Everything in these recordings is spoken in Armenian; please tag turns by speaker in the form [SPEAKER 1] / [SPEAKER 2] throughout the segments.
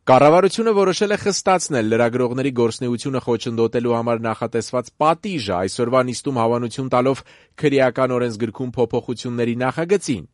[SPEAKER 1] Կառավարությունը որոշել է խստացնել լրագրողների գործունեությունը խոչընդոտելու համար նախատեսված պատիժը, այսօրվա նիստում հավանություն տալով քրեական օրենսգրքում փոփոխությունների նախագծին։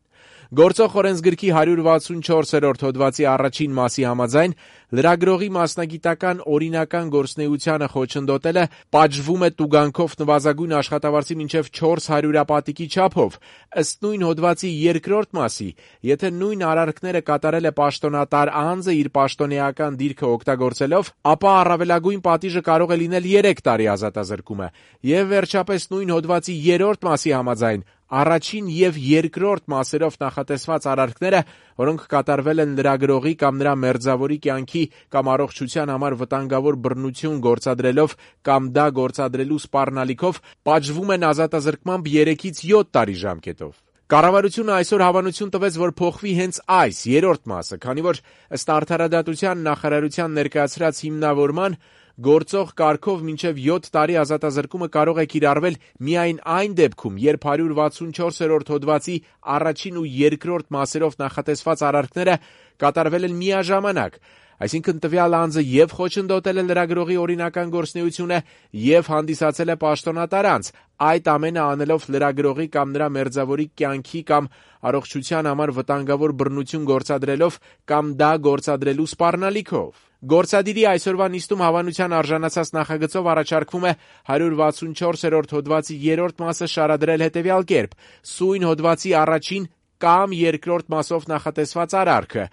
[SPEAKER 1] Գործող օրենսգրքի 164-րդ հոդվածի առաջին մասի համաձայն լրագրողի մասնագիտական օրինական գործունեությանը խոչընդոտելը պատժվում է տուգանքով նվազագույն աշխատավարձի մինչև 400 հրապատիկի չափով, ըստ նույն հոդվածի երկրորդ մասի, եթե նույն արարքները կատարել է պաշտոնատար անձը իր պաշտոնեական դիրքը օգտագործելով, ապա առավելագույն պատիժը կարող է լինել 3 տարի ազատազրկումը, եւ վերջապես նույն հոդվածի 3-րդ մասի համաձայն առաջին եւ երկրորդ մասերով նախատեսված արարքները, որոնք կատարվել են լրագրողի կամ նրա մերձավորի կյանքի կամ առողջության համար վտանգավոր բռնություն գործադրելով կամ դա գործադրելու սպառնալիքով, պատժվում են ազատազրկմամբ 3-ից 7 տարի ժամկետով։ Կառավարությունը այսօր հավանություն տվեց, որ փոխվի հենց այս երրորդ մասը, քանի որ ըստ Արդարադատության նախարարության ներկայացրած հիմնավորման գործող կարգով մինչև 7 տարի ազատազրկումը կարող է կիրառվել միայն այն դեպքում, երբ 164-րդ հոդվածի առաջին ու երկրորդ մասերով նախատեսված արարքները կատարվել են միաժամանակ, այսինքն տվյալ անձը եւ խոչընդոտել է լրագրողի օրինական գործունեությունը եւ հանդիսացել է պաշտոնատար անձ, այդ ամենը անելով լրագրողի կամ նրա մերձավորի կյանքի կամ առողջության համար վտանգավոր բռնություն գործադրելով կամ դա գործադրելու սպառնալիքով։ Գործադիրի այսօրվա նիստում հավանության արժանացած նախագծով առաջարկվում է 164-րդ հոդվածի 3-րդ մասը շարադրել հետևյալ կերպ. սույն հոդվածի առաջին կամ երկրորդ մասով նախատեսված արարքը,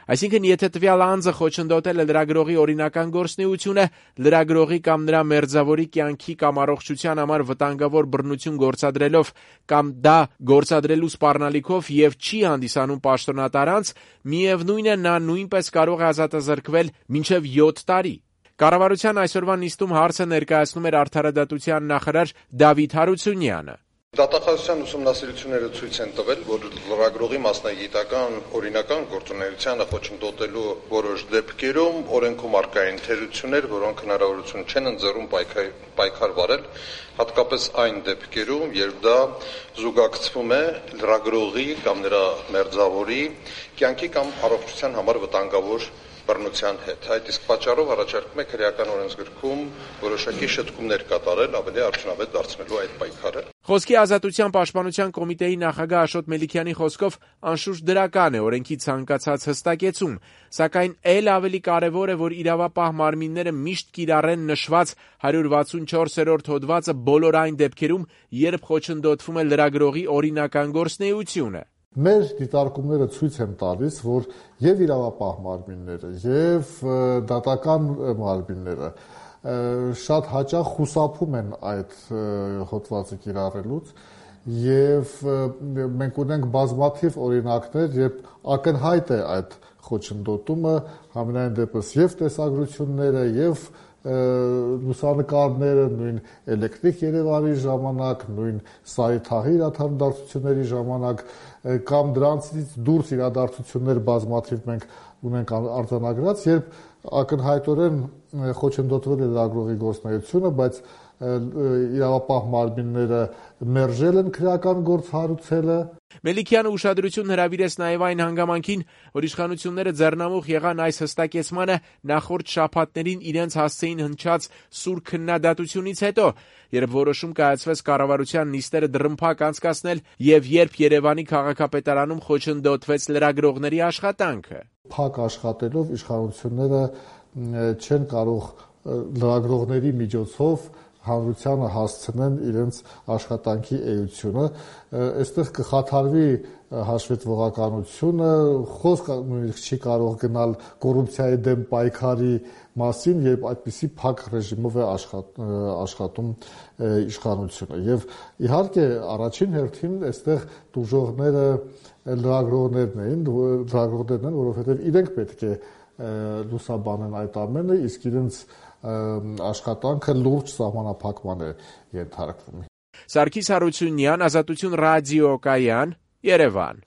[SPEAKER 1] այսինքն եթե տվյալ անձը խոչընդոտել է լրագրողի օրինական գործունեությունը, լրագրողի կամ նրա մերձավորի կյանքի կամ առողջության համար վտանգավոր բռնություն գործադրելով կամ դա գործադրելու սպառնալիքով եւ չի հանդիսանում պաշտոնատար անձ, միևնույն է նա նույնպես կարող է ազատազրկվել մինչև 7 տարի։ Կառավարության այսօրվա նիստում հարցը ներկայացնում էր Արդարադատության նախարար Դավիթ Հարությունյանը։
[SPEAKER 2] Դատախազության ուսումնասիրությունները ցույց են տվել, որ լրագրողի մասնագիտական օրինական գործունեությանը խոչընդոտելու որոշ դեպքերում օրենքում առկա են թերություններ, որոնք հնարավորություն չեն ընձեռում պայքար վարել, հատկապես այն դեպքերում, երբ դա զուգակցվում է լրագրողի կամ նրա մերձավորի կյանքի կամ առողջության համար վտանգավոր բռնության հետ։ Այդ իսկ պատճառով առաջարկում է քրեական օրենսգրքում որոշակի շտկումներ կատարել, ավելի արդյունավետ դարձնելու այդ պայքարը։
[SPEAKER 1] Խոսքի ազատության պաշտպանության կոմիտեի նախագահ Աշոտ Մելիքյանի խոսքով անշուշտ դրական է օրենքի ցանկացած հստակեցում, սակայն ել ավելի կարևոր է, որ իրավապահ մարմինները միշտ կիրառեն նշված 164-րդ հոդվածը բոլոր այն դեպքերում, երբ խոչընդոտվում է լրագրողի օրինական գործունեությունը։
[SPEAKER 3] Մեր դիտարկումները ցույց են տալիս, որ եւ իրավապահ մարմինները, եւ դատական մարմինները շատ հաճախ խուսափում են այդ հոդվածը կիրառելուց եւ մենք ունենք բազմաթիվ օրինակներ, երբ ակնհայտ է այդ խոչընդոտումը, համենայն դեպս եւ տեսագրությունները եւ լուսանկարները, նույն էլեկտրիկ Երևանի ժամանակ, նույն Սարիթաղի իրադարձությունների ժամանակ կամ դրանցից դուրս իրադարձություններ բազմաթիվ մենք ունենք արձանագրած, երբ ակնհայտորեն խոչընդոտվել է լրագրողի գործունեությունը, բայց իրավապահ մարմինները մերժել են քրեական գործ հարուցելը։
[SPEAKER 1] Մելիքյանը ուշադրություն հրավիրեց նաև այն հանգամանքին, որ իշխանությունները ձեռնամուխ եղան այս հստակեցմանը նախորդ շաբաթներին իրենց հասցեին հնչած սուր քննադատությունից հետո, երբ որոշում կայացվեց կառավարության նիստերը դռնփակ անցկացնել եւ երբ Երևանի քաղաքապետարանում խոչընդոտվեց լրագրողների աշխատանքը։
[SPEAKER 3] Փակ աշխատելով իշխանությունները չեն կարող լրագրողների միջոցով հանրությանը հասցնեն իրենց աշխատանքի էությունը, այստեղ կխաթարվի հաշվետվողականությունը, խոսք նույնիսկ չի կարող գնալ կոռուպցիայի դեմ պայքարի մասին, երբ այդպիսի փակ ռեժիմով է աշխատում իշխանությունը։ Եվ իհարկե առաջին հերթին այստեղ տուժողները լրագրողներն են, որովհետև իրենք պետք է լուսաբանեն այդ ամենը, իսկ իրենց աշխատանքը լուրջ սահմանափակման է ենթարկվում։
[SPEAKER 1] Սարգիս Հարությունյան, Ազատություն ռադիոկայան, Երևան։